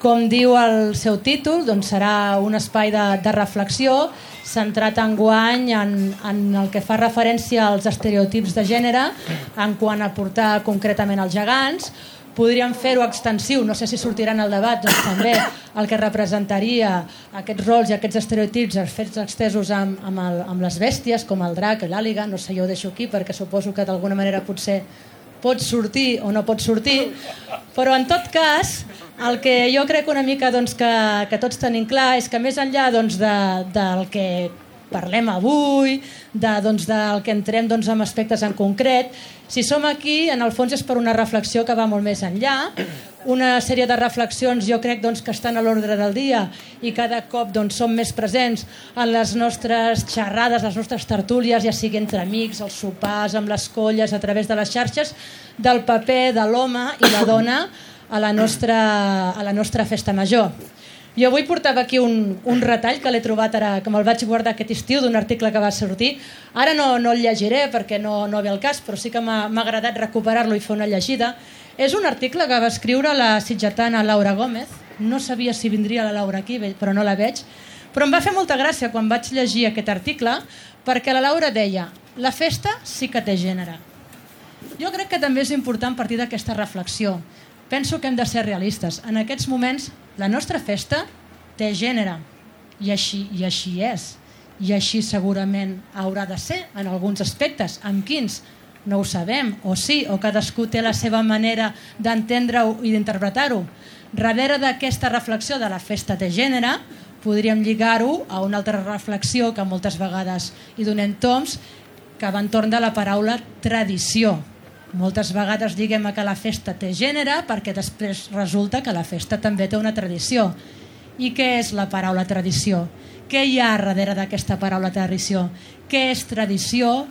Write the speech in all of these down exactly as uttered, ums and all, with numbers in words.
Com diu el seu títol, doncs serà un espai de, de reflexió centrat enguany en, en el que fa referència als estereotips de gènere en quant a portar concretament els gegants. Podríem fer-ho extensiu, no sé si sortiran al debat, doncs també el que representaria aquests rols i aquests estereotips fets extesos amb, amb, el, amb les bèsties, com el drac, l'àliga, no sé, jo ho deixo aquí perquè suposo que d'alguna manera potser pot sortir o no pot sortir, però en tot cas el que jo crec una mica doncs, que, que tots tenim clar és que més enllà doncs, de, del que parlem avui, de, doncs, del que entrem doncs, en aspectes en concret, si som aquí en el fons és per una reflexió que va molt més enllà, una sèrie de reflexions jo crec doncs, que estan a l'ordre del dia i cada cop doncs, som més presents en les nostres xerrades, les nostres tertúlies, ja sigui entre amics, els sopars, amb les colles, a través de les xarxes, del paper de l'home i la dona a la nostra, a la nostra festa major. Jo avui portava aquí un, un retall que l'he trobat ara, que me'l vaig guardar aquest estiu d'un article que va sortir. Ara no, no el llegiré perquè no, no ve al cas, però sí que m'ha agradat recuperar-lo i fer una llegida. És un article que va escriure la sitgetana Laura Gómez. No sabia si vindria la Laura aquí, però no la veig. Però em va fer molta gràcia quan vaig llegir aquest article perquè la Laura deia: la festa sí que té gènere. Jo crec que també és important partir d'aquesta reflexió. Penso que hem de ser realistes. En aquests moments la nostra festa té gènere i així, i així és. I així segurament haurà de ser en alguns aspectes. En quins? No ho sabem, o sí, o cadascú té la seva manera d'entendre-ho i d'interpretar-ho. Darrere d'aquesta reflexió de la festa té gènere podríem lligar-ho a una altra reflexió que moltes vegades hi donem toms, que va entorn de la paraula tradició. Moltes vegades diguem que la festa té gènere perquè després resulta que la festa també té una tradició. I què és la paraula tradició? Què hi ha darrere d'aquesta paraula tradició? Què és tradició?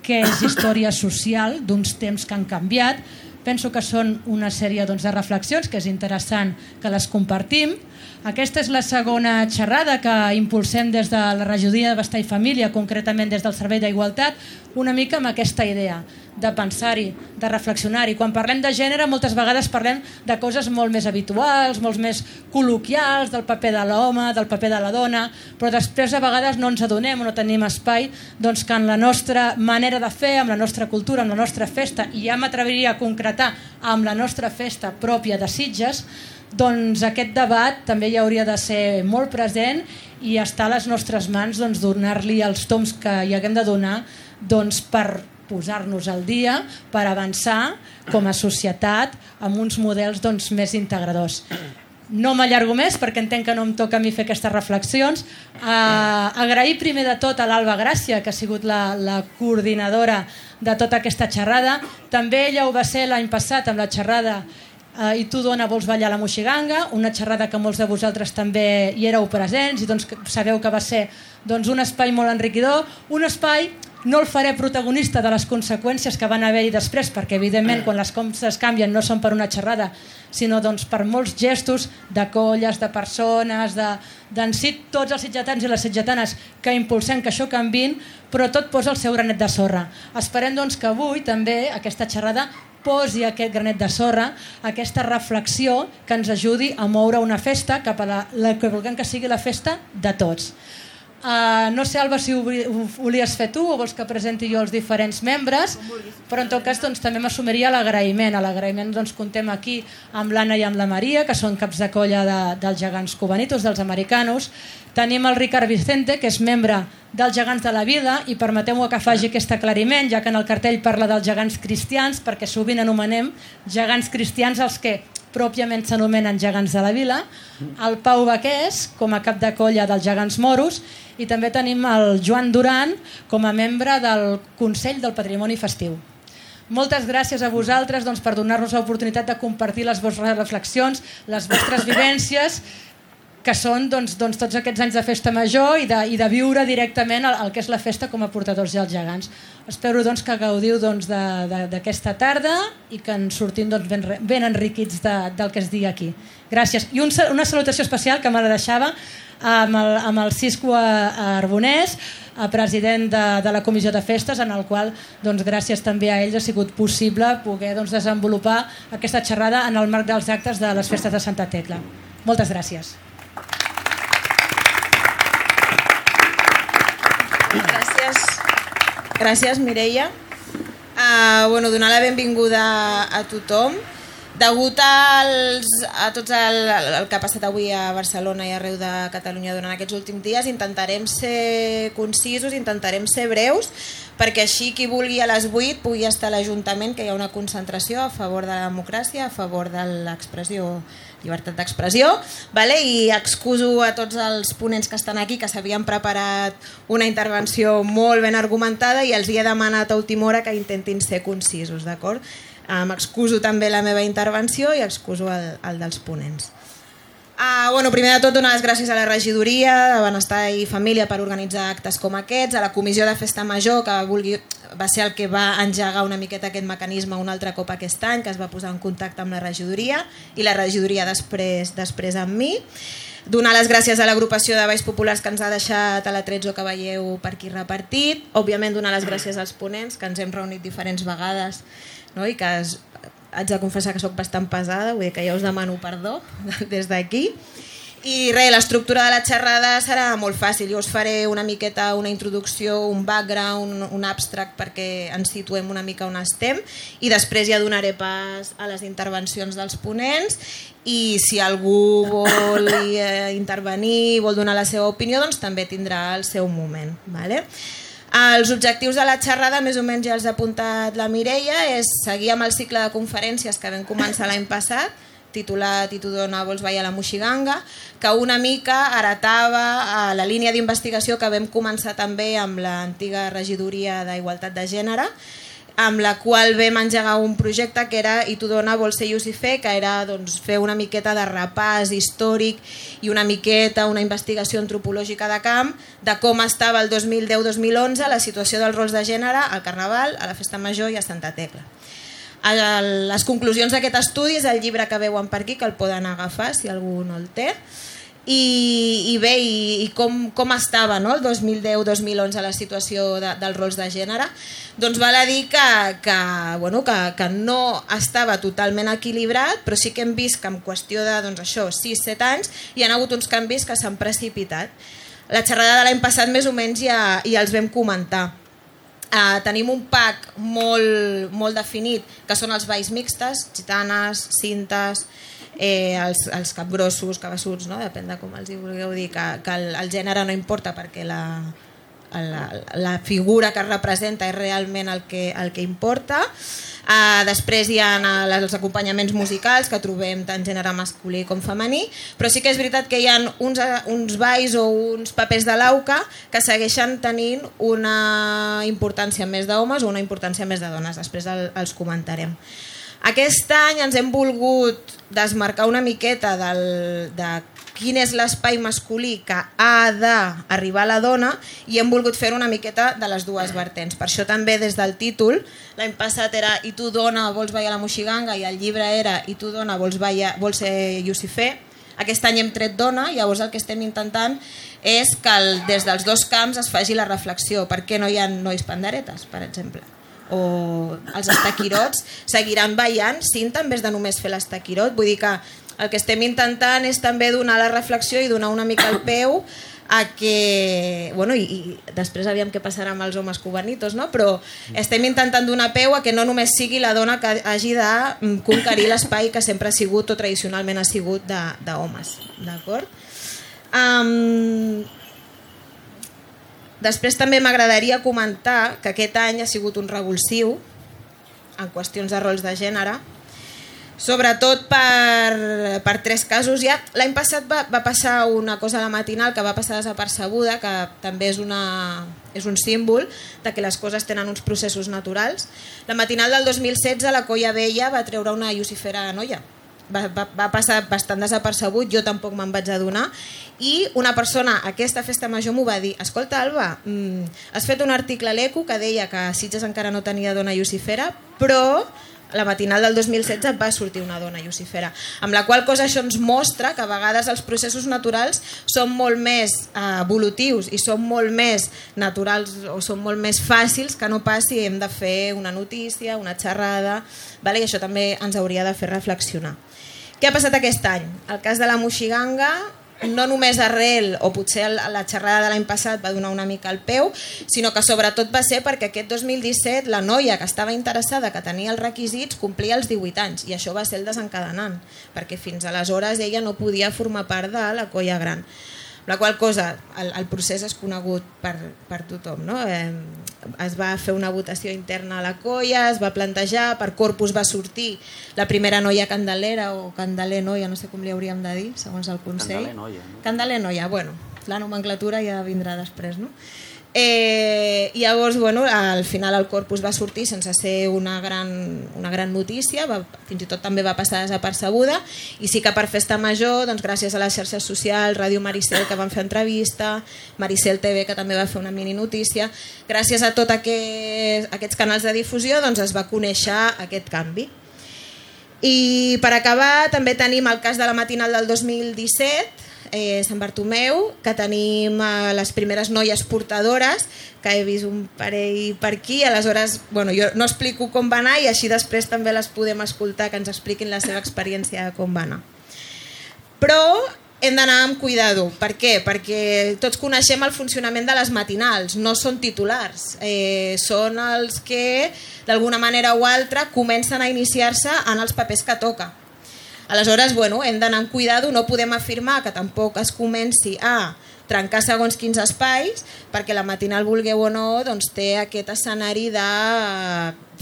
Què és història social d'uns temps que han canviat? Penso que són una sèrie doncs, de reflexions que és interessant que les compartim. Aquesta és la segona xerrada que impulsem des de la regidoria de Benestar i Família, concretament des del Servei d'Igualtat, una mica amb aquesta idea de pensar-hi, de reflexionar-hi. Quan parlem de gènere moltes vegades parlem de coses molt més habituals, molt més col·loquials, del paper de l'home, del paper de la dona, però després a vegades no ens adonem o no tenim espai doncs, que en la nostra manera de fer, amb la nostra cultura, amb la nostra festa, i ja m'atreviria a concretar amb la nostra festa pròpia de Sitges, doncs aquest debat també hi hauria de ser molt present i està a les nostres mans doncs, donar-li els toms que hi haguem de donar doncs, per posar-nos al dia, per avançar com a societat amb uns models doncs, més integradors. No m'allargo més perquè entenc que no em toca a mi fer aquestes reflexions. Uh, agrair primer de tot a l'Alba Gràcia, que ha sigut la, la coordinadora de tota aquesta xerrada. També ella ho va ser l'any passat amb la xerrada Uh, I tu, dona, vols ballar la moixiganga, una xerrada que molts de vosaltres també hi éreu presents i doncs sabeu que va ser doncs, un espai molt enriquidor, un espai, no el faré protagonista de les conseqüències que van haver-hi després, perquè evidentment quan les coses canvien no són per una xerrada, sinó doncs, per molts gestos de colles, de persones, de, d'en si tots els sitgetans i les sitgetanes que impulsem que això canviïn, però tot posa el seu granet de sorra. Esperem doncs, que avui també aquesta xerrada posi aquest granet de sorra, aquesta reflexió que ens ajudi a moure una festa cap a la, la que vulguem que sigui la festa de tots. Uh, no sé, Alba, si ho, ho volies fer tu o vols que presenti jo els diferents membres, però en tot cas doncs, també m'assumiria l'agraïment. A l'agraïment doncs, contem aquí amb l'Anna i amb la Maria, que són caps de colla de, dels gegants cubanitos, dels americanos. Tenim el Ricard Vicente, que és membre dels Gegants de la Vida, i permeteu-me que faci aquest aclariment, ja que en el cartell parla dels gegants cristians, perquè sovint anomenem gegants cristians els que pròpiament s'anomenen gegants de la vila, el Pau Baqués com a cap de colla dels gegants moros, i també tenim el Joan Duran com a membre del Consell del Patrimoni Festiu. Moltes gràcies a vosaltres doncs, per donar-nos l'oportunitat de compartir les vostres reflexions, les vostres vivències. que són doncs, doncs, tots aquests anys de festa major i de, i de viure directament el, el que és la festa com a portadors i els gegants. Espero doncs, que gaudiu doncs, d'aquesta tarda i que en sortim doncs, ben, ben enriquits de, del que es digui aquí. Gràcies. I un, una salutació especial que me la deixava amb el, amb el Cisco Arbonès, president de, de la Comissió de Festes, en el qual doncs, gràcies també a ells ha sigut possible poder doncs, desenvolupar aquesta xerrada en el marc dels actes de les festes de Santa Tecla. Moltes gràcies. Gràcies, gràcies Mireia. Uh, bueno, donar la benvinguda a tothom. Degut als, a tot el, el que ha passat avui a Barcelona i arreu de Catalunya durant aquests últims dies, intentarem ser concisos, intentarem ser breus, perquè així qui vulgui a les vuit pugui estar a l'Ajuntament, que hi ha una concentració a favor de la democràcia, a favor de l'expressió, llibertat d'expressió, vale? I excuso a tots els ponents que estan aquí, que s'havien preparat una intervenció molt ben argumentada i els hi he demanat a última hora que intentin ser concisos, d'acord? M'excuso també la meva intervenció i excuso el, el dels ponents. Uh, bueno, primer de tot, donar les gràcies a la regidoria de Benestar i Família per organitzar actes com aquests, a la Comissió de Festa Major, que vulgui, va ser el que va engegar una miqueta aquest mecanisme un altre cop aquest any, que es va posar en contacte amb la regidoria, i la regidoria després, després amb mi. Donar les gràcies a l'agrupació de Balls Populars que ens ha deixat a l'Atrezzo, que veieu per aquí repartit. Òbviament donar les gràcies als ponents, que ens hem reunit diferents vegades, no? I que es, haig de confessar que sóc bastant pesada, vull dir que ja us demano perdó des d'aquí. I res, l'estructura de la xerrada serà molt fàcil. Jo us faré una miqueta una introducció, un background, un abstract perquè ens situem una mica on estem i després ja donaré pas a les intervencions dels ponents i si algú vol eh, intervenir, vol donar la seva opinió, doncs també tindrà el seu moment. Vale? Els objectius de la xerrada, més o menys ja els ha apuntat la Mireia, és seguir amb el cicle de conferències que vam començar l'any passat, titulat I tu dona vols ballar la moixiganga, que una mica heretava la línia d'investigació que vam començar també amb l'antiga regidoria d'Igualtat de Gènere, amb la qual vam engegar un projecte que era I tu dona vols ser Llucifer, que era doncs, fer una miqueta de repàs històric i una miqueta una investigació antropològica de camp de com estava el dos mil deu dos mil onze la situació dels rols de gènere al Carnaval, a la Festa Major i a Santa Tecla. Les conclusions d'aquest estudi és el llibre que veuen per aquí, que el poden agafar si algú no el té. I, i bé, i, i com, com estava no? El dos mil deu dos mil onze la situació de, dels rols de gènere, doncs val a dir que, que, bueno, que, que no estava totalment equilibrat, però sí que hem vist que en qüestió de doncs això, sis set anys hi ha hagut uns canvis que s'han precipitat. La xerrada de l'any passat més o menys ja, ja els vam comentar. Uh, tenim un pack molt, molt definit, que són els balls mixtes, gitanes, cintes, eh, els, els capgrossos, cabassuts, no? Depèn de com els hi vulgueu dir, que, que el, el gènere no importa perquè la, la, la figura que es representa és realment el que, el que importa. Uh, després hi ha els acompanyaments musicals que trobem tant gènere masculí com femení, però sí que és veritat que hi ha uns, uns balls o uns papers de l'auca que segueixen tenint una importància més d'homes o una importància més de dones, després el, els comentarem. Aquest any ens hem volgut desmarcar una miqueta del, de quin és l'espai masculí que ha d'arribar a la dona i hem volgut fer una miqueta de les dues vertents. Per això també des del títol, l'any passat era I tu dona vols ballar la moixiganga i el llibre era I tu dona vols, ballar, vols ser Llucifer. Aquest any hem tret dona, llavors el que estem intentant és que el, des dels dos camps es faci la reflexió. Per què no hi ha nois panderetes, per exemple? O els estaquirots seguiran ballant cinta en vez de només fer l'estaquirot. Vull dir que el que estem intentant és també donar la reflexió i donar una mica el peu a que, bueno, i, i després aviam què passarà amb els homes cubanitos, no? Però estem intentant donar peu a que no només sigui la dona que hagi de conquerir l'espai que sempre ha sigut o tradicionalment ha sigut d'homes, d'acord? Um, després també m'agradaria comentar que aquest any ha sigut un revulsiu en qüestions de rols de gènere, sobretot per, per tres casos. Ja l'any passat va, va passar una cosa a la matinal que va passar desapercebuda, que també és, una, és un símbol de que les coses tenen uns processos naturals. La matinal del dos mil setze la Colla Vella va treure una Llucifera noia, va, va, va passar bastant desapercebut, jo tampoc me'n vaig adonar, i una persona a aquesta festa major m'ho va dir: escolta, Alba, mm, has fet un article a l'Eco que deia que Sitges encara no tenia dona llucifera, però la matinal del dos mil setze va sortir una dona llucifera, amb la qual cosa això ens mostra que a vegades els processos naturals són molt més eh, evolutius i són molt més naturals o són molt més fàcils que no pas si hem de fer una notícia, una xerrada, vale? I això també ens hauria de fer reflexionar. Què ha passat aquest any? El cas de la Moixiganga, no només arrel, o potser la xerrada de l'any passat va donar una mica el peu, sinó que sobretot va ser perquè aquest dos mil disset la noia que estava interessada, que tenia els requisits, complia els divuit anys, i això va ser el desencadenant, perquè fins aleshores ella no podia formar part de la colla gran. La qual cosa, el, el procés és conegut per, per tothom, no? Eh, es va fer una votació interna a la colla, es va plantejar, per Corpus va sortir la primera noia candelera o candeler noia, no sé com li hauríem de dir, segons el Consell. Candeler noia. No? Candeler noia, bueno, la nomenclatura ja vindrà després, no? Eh, llavors, bueno, al final el Corpus va sortir sense ser una gran, una gran notícia, va, fins i tot també va passar desapercebuda, i sí que per Festa Major, doncs, gràcies a les xarxes socials, Ràdio Maricel, que van fer entrevista, Maricel T V, que també va fer una mini notícia, gràcies a tots aquest, aquests canals de difusió, doncs, es va conèixer aquest canvi. I per acabar també tenim el cas de la matinal del dos mil disset, Eh, Sant Bartomeu, que tenim eh, les primeres noies portadores, que he vist un parell per aquí, aleshores, bueno, jo no explico com va anar i així després també les podem escoltar, que ens expliquin la seva experiència de com va anar. Però hem d'anar amb cuidado. Per què? Perquè tots coneixem el funcionament de les matinals, no són titulars, eh, són els que d'alguna manera o altra comencen a iniciar-se en els papers que toca. Aleshores, bueno, hem d'anar amb cuidado, no podem afirmar que tampoc es comenci a trencar segons quins espais, perquè la matinal, vulgueu o no, doncs té aquest escenari de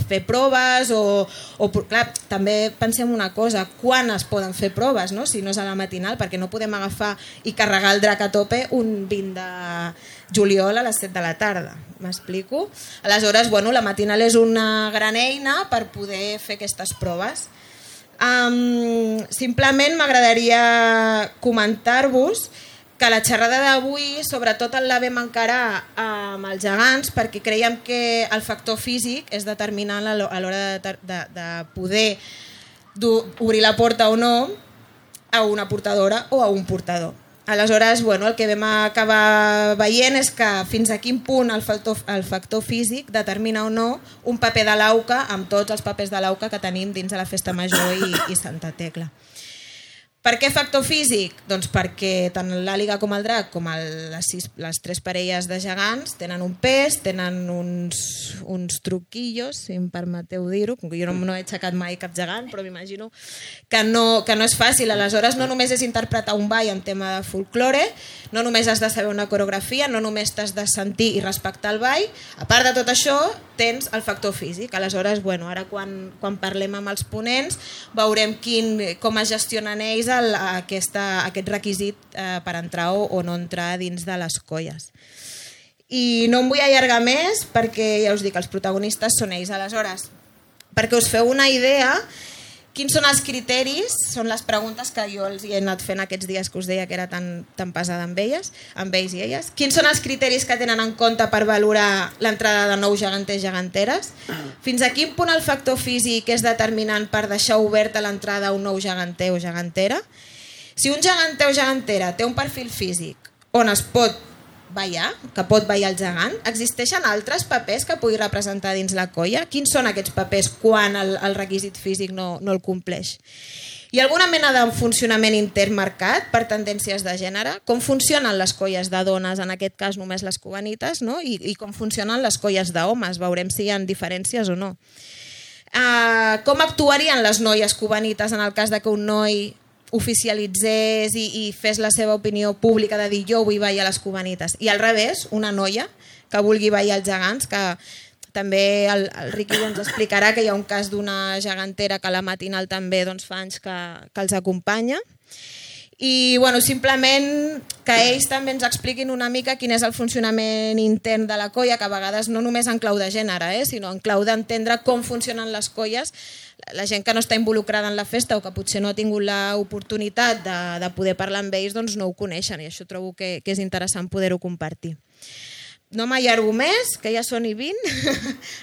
fer proves o, o clar, també pensem una cosa, quan es poden fer proves, no? Si no és a la matinal, perquè no podem agafar i carregar el drac a tope un vint de juliol a les set de la tarda, m'explico? Aleshores, bueno, la matinal és una gran eina per poder fer aquestes proves. Um, simplement m'agradaria comentar-vos que la xerrada d'avui sobretot la vam encarar amb els gegants perquè creiem que el factor físic és determinant a l'hora de, de, de poder obrir la porta o no a una portadora o a un portador. Aleshores, bueno, el que vam acabar veient és que fins a quin punt el factor, el factor físic determina o no un paper de l'AUCA amb tots els papers de l'AUCA que tenim dins de la Festa Major i, i Santa Tecla. Per què factor físic? Doncs perquè tant l'àliga com el drac, com el, les, sis, les tres parelles de gegants, tenen un pes, tenen uns, uns truquillos, si em permeteu dir-ho, com que jo no, no he aixecat mai cap gegant, però m'imagino que no, que no és fàcil. Aleshores, no només és interpretar un ball en tema de folklore, no només has de saber una coreografia, no només t'has de sentir i respectar el ball, a part de tot això, tens el factor físic. Aleshores, bueno, ara quan, quan parlem amb els ponents, veurem quin, com es gestionen ells el, aquesta, aquest requisit eh, per entrar o, o no entrar dins de les colles. I no em vull allargar més perquè ja us dic, els protagonistes són ells. Aleshores, perquè us feu una idea, quins són els criteris? Són les preguntes que jo els he anat fent aquests dies que us deia que era tan, tan pesada amb elles, amb ells i elles. Quins són els criteris que tenen en compte per valorar l'entrada de nous geganters i geganteres? Fins a quin punt el factor físic és determinant per deixar oberta l'entrada a un nou geganter o gegantera? Si un geganter o gegantera té un perfil físic on es pot ballar, que pot ballar el gegant, existeixen altres papers que pugui representar dins la colla? Quins són aquests papers quan el, el requisit físic no, no el compleix? Hi ha alguna mena de funcionament intern marcat per tendències de gènere? Com funcionen les colles de dones, en aquest cas només les cubanites, no? I, i com funcionen les colles d'homes? Veurem si hi ha diferències o no. Uh, com actuarien les noies cubanites en el cas de que un noi oficialitzés i, i fes la seva opinió pública de dir jo vull ballar les cubanites, i al revés, una noia que vulgui ballar els gegants, que també el, el Riqui ens explicarà que hi ha un cas d'una gegantera que a la matinal també doncs, fa anys que, que els acompanya. I bueno, simplement que ells també ens expliquin una mica quin és el funcionament intern de la colla, que a vegades no només en clau de gènere, eh, sinó en clau d'entendre com funcionen les colles la gent que no està involucrada en la festa o que potser no ha tingut l'oportunitat de, de poder parlar amb ells, doncs no ho coneixen, i això trobo que, que és interessant poder-ho compartir. No m'allargo més, que ja són i vint,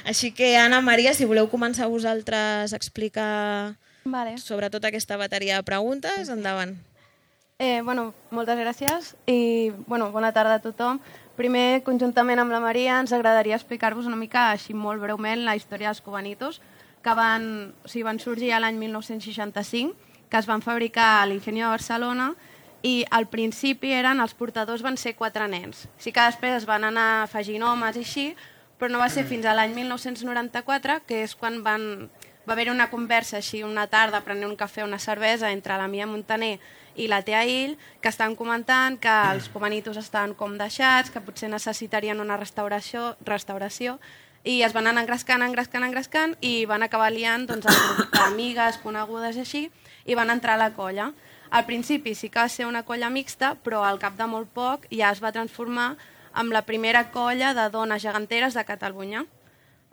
així que Anna, Maria, si voleu començar vosaltres a explicar vale. sobre tota aquesta bateria de preguntes, endavant. Eh, bueno, moltes gràcies i bueno, bona tarda a tothom. Primer, conjuntament amb la Maria, ens agradaria explicar-vos una mica, així molt breument, la història dels cubanitos, que van, o sigui, van sorgir l'any mil nou-cents seixanta-cinc, que es van fabricar a l'Ingenio de Barcelona, i al principi eren, els portadors van ser quatre nens. Sí que després es van anar afegint homes i així, però no va ser fins a l'any mil nou-cents noranta-quatre, que és quan van, va haver una conversa així una tarda, prenent un cafè o una cervesa entre la Mia Montaner i la Tea Ill, que estan comentant que els cubanitos estan com deixats, que potser necessitarien una restauració, restauració i es van anar engrescant, engrescant, engrescant i van acabar liant doncs, el grup d'amigues, conegudes i així, i van entrar a la colla. Al principi sí que va ser una colla mixta, però al cap de molt poc ja es va transformar en la primera colla de dones geganteres de Catalunya.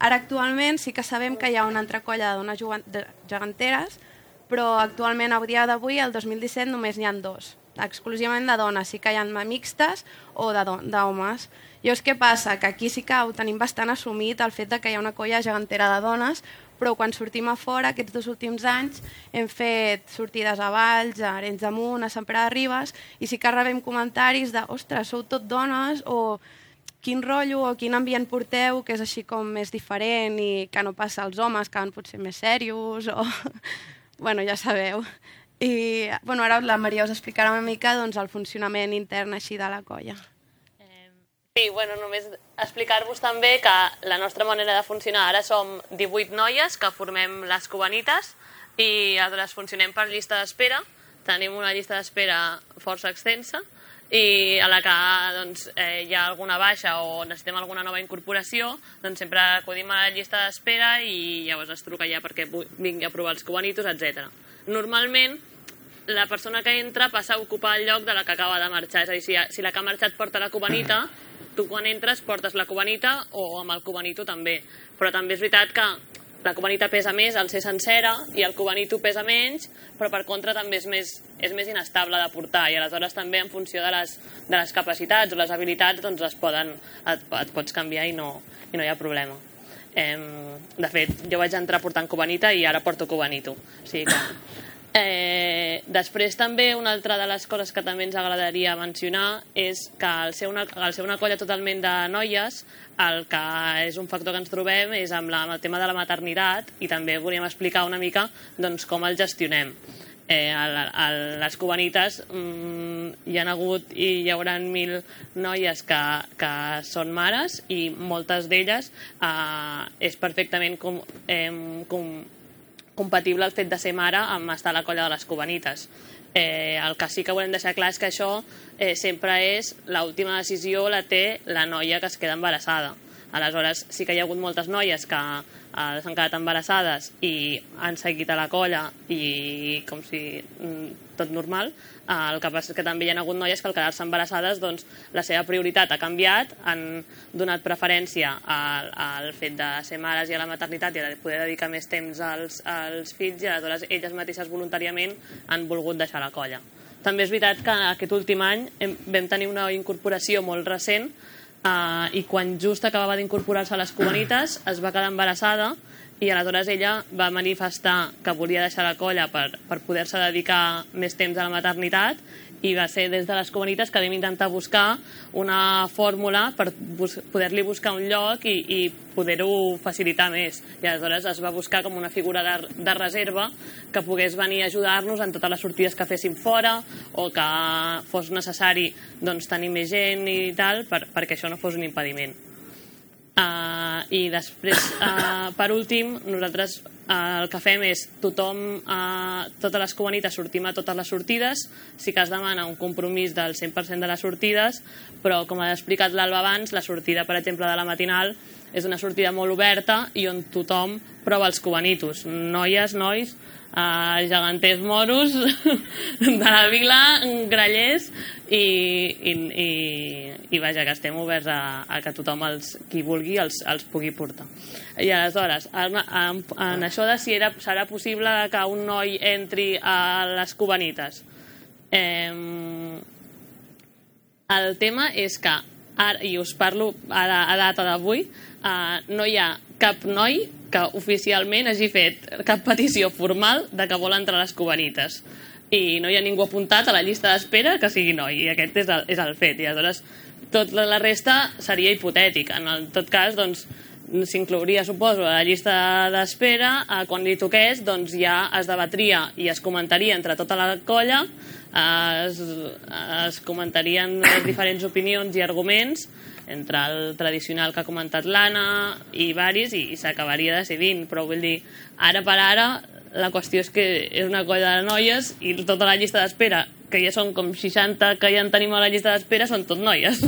Ara actualment sí que sabem que hi ha una altra colla de dones geganteres, però actualment, a dia d'avui, el dos mil disset, només n'hi ha dos, exclusivament de dones. Sí que hi ha mixtes o d'homes. Llavors, què passa? Que aquí sí que ho tenim bastant assumit, el fet de que hi ha una colla gegantera de dones, però quan sortim a fora, aquests dos últims anys, hem fet sortides a Valls, a Arenys de Munt, a Sant Pere de Ribes, i sí que rebem comentaris de «Ostres, sou tot dones», o «Quin rotllo», o «Quin ambient porteu», que és així com més diferent i que no passa als homes, que van potser més serios, o... bueno, ja sabeu. I bueno, ara la Maria us explicarà una mica doncs, el funcionament intern així de la colla. Sí, bueno, només explicar-vos també que la nostra manera de funcionar ara som divuit noies que formem les cubanites i aleshores funcionem per llista d'espera. Tenim una llista d'espera força extensa i a la que doncs, eh, hi ha alguna baixa o necessitem alguna nova incorporació, doncs sempre acudim a la llista d'espera i llavors es truca ja perquè vingui a provar els cubanitos, etcètera. Normalment, la persona que entra passa a ocupar el lloc de la que acaba de marxar. És a dir, si, si la que ha marxat porta la cubanita, tu quan entres portes la cubanita o amb el cubanito també. Però també és veritat que la cubanita pesa més al ser sencera i el cubanito pesa menys, però per contra també és més, és més inestable de portar i aleshores també en funció de les, de les capacitats o les habilitats doncs es poden, et, et pots canviar i no, i no hi ha problema. Eh, de fet, jo vaig entrar portant cubanita i ara porto cubanito. O sigui que... Eh, després també una altra de les coses que també ens agradaria mencionar és que al ser una, al ser una colla totalment de noies, el que és un factor que ens trobem és amb, la, amb el tema de la maternitat i també volíem explicar una mica doncs, com el gestionem. Eh, a, a les cubanites mmm, hi ha hagut i hi haurà mil noies que, que són mares i moltes d'elles eh, és perfectament com, eh, com compatible el fet de ser mare amb estar a la colla de les cubanites. Eh, el que sí que volem deixar clar és que això eh, sempre és l'última decisió la té la noia que es queda embarassada. Aleshores sí que hi ha hagut moltes noies que eh, s'han quedat embarassades i han seguit a la colla i com si mm, tot normal. Eh, el que passa és que també hi ha hagut noies que al quedar-se embarassades doncs, la seva prioritat ha canviat, han donat preferència al, al fet de ser mares i a la maternitat i a poder dedicar més temps als, als fills i aleshores elles mateixes voluntàriament han volgut deixar la colla. També és veritat que aquest últim any hem, vam tenir una incorporació molt recent Uh, i quan just acabava d'incorporar-se a les cubanites es va quedar embarassada i aleshores ella va manifestar que volia deixar la colla per, per poder-se dedicar més temps a la maternitat i va ser des de les cubanites que vam intentar buscar una fórmula per bus poder-li buscar un lloc i, i poder-ho facilitar més. I aleshores es va buscar com una figura de, de reserva que pogués venir a ajudar-nos en totes les sortides que féssim fora o que fos necessari doncs, tenir més gent i tal per, perquè això no fos un impediment. Uh, I després, uh, per últim, nosaltres uh, el que fem és tothom, uh, totes les cubanites sortim a totes les sortides, sí que es demana un compromís del cent per cent de les sortides, però com ha explicat l'Alba abans, la sortida, per exemple, de la matinal és una sortida molt oberta i on tothom prova els cubanitos, noies, nois, uh, geganters moros de la vila, grallers, i, i, i, i vaja, que estem oberts a, a que tothom, els, qui vulgui, els, els pugui portar. I aleshores, en, en, en això de si era, serà possible que un noi entri a les Cubanites, eh, el tema és que, ara, i us parlo a, la, a data d'avui, eh, no hi ha cap noi que oficialment hagi fet cap petició formal de que vol entrar a les Cubanites. I no hi ha ningú apuntat a la llista d'espera que sigui noi, i aquest és el, és el fet. I aleshores tota la resta seria hipotètic. En el, tot cas, doncs, s'inclouria, suposo, a la llista d'espera, eh, quan li toqués, doncs ja es debatria i es comentaria entre tota la colla, eh, es, es comentarien les diferents opinions i arguments entre el tradicional que ha comentat l'Anna i varis, i, i s'acabaria decidint. Però vull dir, ara per ara, la qüestió és que és una colla de noies i tota la llista d'espera, que ja són com seixanta que ja en tenim a la llista d'espera, són tot noies.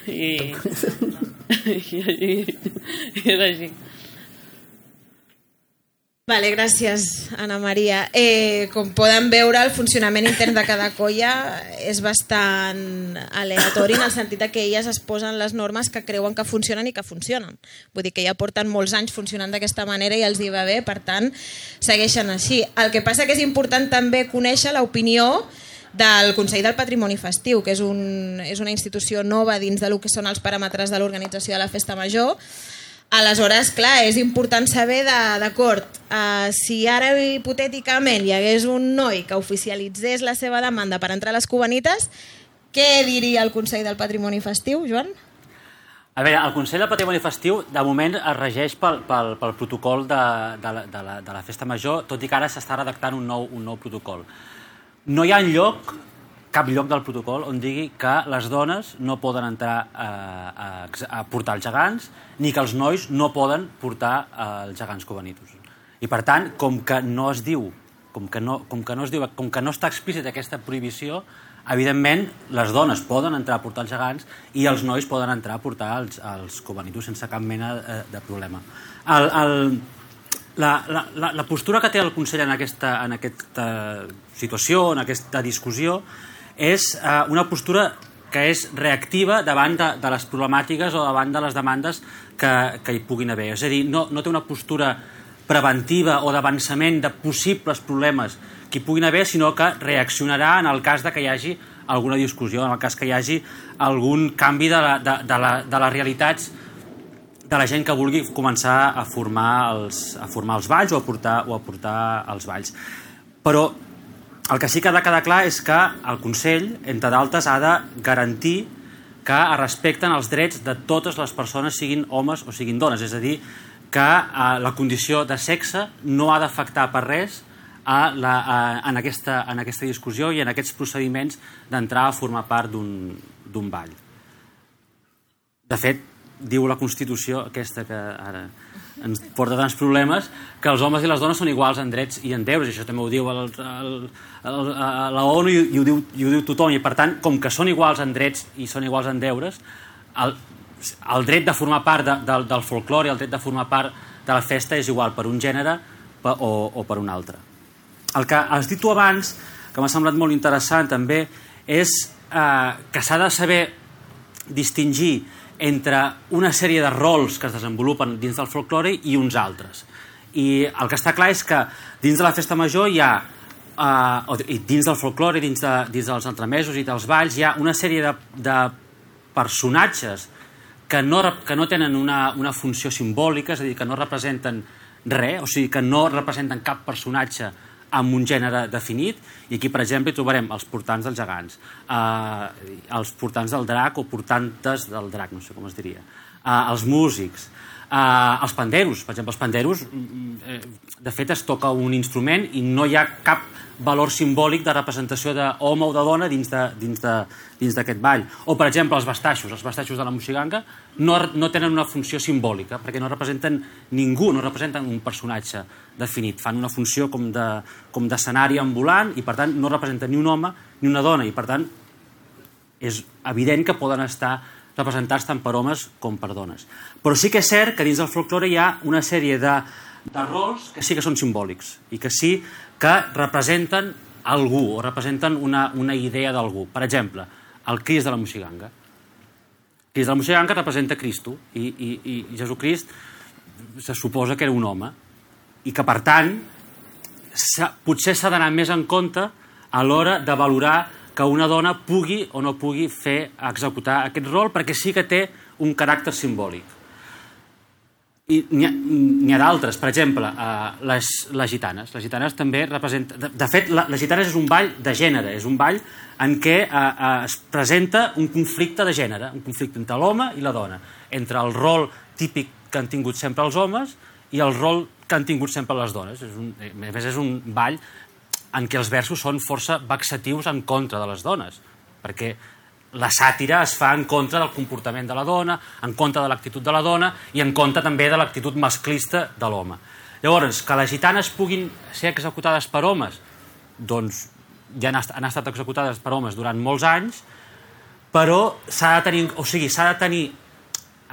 I... I, i, i és així. Vale, gràcies, Ana Maria. Eh, com poden veure, el funcionament intern de cada colla és bastant aleatori, en el sentit que elles es posen les normes que creuen que funcionen i que funcionen. Vull dir que ja porten molts anys funcionant d'aquesta manera i els hi va bé, per tant, segueixen així. El que passa que és important també conèixer l'opinió del Consell del Patrimoni Festiu, que és, un, és una institució nova dins del que són els paràmetres de l'organització de la Festa Major. Aleshores, clar, és important saber, d'acord, uh, si ara hipotèticament hi hagués un noi que oficialitzés la seva demanda per entrar a les Cubanites, què diria el Consell del Patrimoni Festiu, Joan? A veure, el Consell del Patrimoni Festiu de moment es regeix pel, pel, pel protocol de, de, la, de, la, de la Festa Major, tot i que ara s'està redactant un nou, un nou protocol. No hi ha lloc, cap lloc del protocol on digui que les dones no poden entrar a, a, a portar els gegants, ni que els nois no poden portar els gegants cubanitos. I per tant, com que no es diu, com que no, com que no es diu, com que no està explícita aquesta prohibició, evidentment les dones poden entrar a portar els gegants i els nois poden entrar a portar els, els cubanitos sense cap mena de problema. El, el, la, la, la postura que té el Consell en aquesta, en aquesta situació, en aquesta discussió, és eh, una postura que és reactiva davant de, de les problemàtiques o davant de les demandes que, que hi puguin haver. És a dir, no, no té una postura preventiva o d'avançament de possibles problemes que hi puguin haver, sinó que reaccionarà en el cas de que hi hagi alguna discussió, en el cas que hi hagi algun canvi de, la, de, de, la, de les realitats de la gent que vulgui començar a formar els, a formar els balls o a portar, o a portar els balls. Però el que sí que ha de quedar clar és que el Consell, entre d'altres, ha de garantir que es respecten els drets de totes les persones, siguin homes o siguin dones. És a dir, que eh, la condició de sexe no ha d'afectar per res a la, a, en, aquesta, en aquesta discussió i en aquests procediments d'entrar a formar part d'un ball. De fet, diu la Constitució, aquesta que ara ens porta tants problemes, que els homes i les dones són iguals en drets i en deures, i això també ho diu el, el, el, la ONU i, i, ho diu, i ho diu tothom, i per tant, com que són iguals en drets i són iguals en deures, el, el dret de formar part de, de, del folklore i el dret de formar part de la festa és igual per un gènere o, o per un altre. El que has dit tu abans, que m'ha semblat molt interessant també, és eh, que s'ha de saber distingir entre una sèrie de rols que es desenvolupen dins del folklore i uns altres. I el que està clar és que dins de la Festa Major hi ha, eh, i dins del folklore, dins, de, dins dels entremesos i dels balls, hi ha una sèrie de, de personatges que no, que no tenen una, una funció simbòlica, és a dir, que no representen res, o sigui, que no representen cap personatge amb un gènere definit, i aquí, per exemple, hi trobarem els portants dels gegants, eh, els portants del drac o portantes del drac, no sé com es diria, eh, els músics, eh, els panderos. Per exemple, els panderos, eh, de fet, es toca un instrument i no hi ha cap valor simbòlic de representació d'home o de dona dins d'aquest ball. O, per exemple, els bastaixos. Els bastaixos de la moixiganga no, no tenen una funció simbòlica, perquè no representen ningú, no representen un personatge definit. Fan una funció com d'escenari ambulant i, per tant, no representen ni un home ni una dona. I, per tant, és evident que poden estar representats tant per homes com per dones. Però sí que és cert que dins del folklore hi ha una sèrie de de rols que sí que són simbòlics i que sí que representen algú o representen una, una idea d'algú. Per exemple, el Crist de la Moixiganga. El Crist de la Moixiganga representa Cristo i, i, i Jesucrist se suposa que era un home i que, per tant, potser s'ha d'anar més en compte a l'hora de valorar que una dona pugui o no pugui fer executar aquest rol, perquè sí que té un caràcter simbòlic. I n'hi ha, ha d'altres, per exemple, eh, les, les gitanes. Les gitanes també representen... De, de fet, la, les gitanes és un ball de gènere, és un ball en què eh, eh, es presenta un conflicte de gènere, un conflicte entre l'home i la dona, entre el rol típic que han tingut sempre els homes i el rol que han tingut sempre les dones. És un, a més, és un ball en què els versos són força vexatius en contra de les dones, perquè la sàtira es fa en contra del comportament de la dona, en contra de l'actitud de la dona i en contra també de l'actitud masclista de l'home. Llavors, que les gitanes puguin ser executades per homes, doncs ja han, han estat executades per homes durant molts anys, però s'ha de tenir, o sigui, s'ha de tenir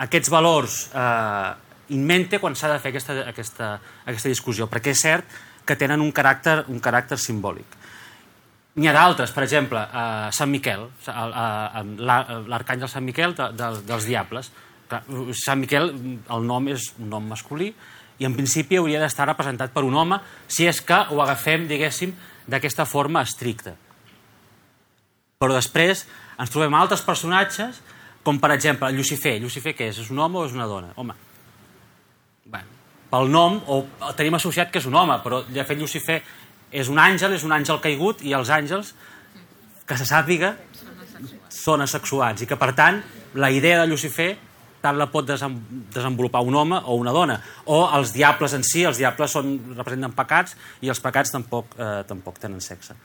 aquests valors eh, in mente quan s'ha de fer aquesta, aquesta, aquesta discussió, perquè és cert que tenen un caràcter, un caràcter simbòlic. N'hi ha d'altres, per exemple, eh, Sant Miquel, l'arcàngel Sant Miquel de, de, dels diables. Sant Miquel, el nom és un nom masculí i en principi hauria d'estar representat per un home si és que ho agafem, diguéssim, d'aquesta forma estricta. Però després ens trobem altres personatges, com per exemple Llucifer. Llucifer què és? És un home o és una dona? Home, bueno, pel nom, o tenim associat que és un home, però de fet Llucifer és un àngel, és un àngel caigut, i els àngels, que se sàpiga, són asexuats, i que, per tant, la idea de Llucifer tant la pot desenvolupar un home o una dona. O els diables en si, els diables són, representen pecats, i els pecats tampoc, eh, tampoc tenen sexe.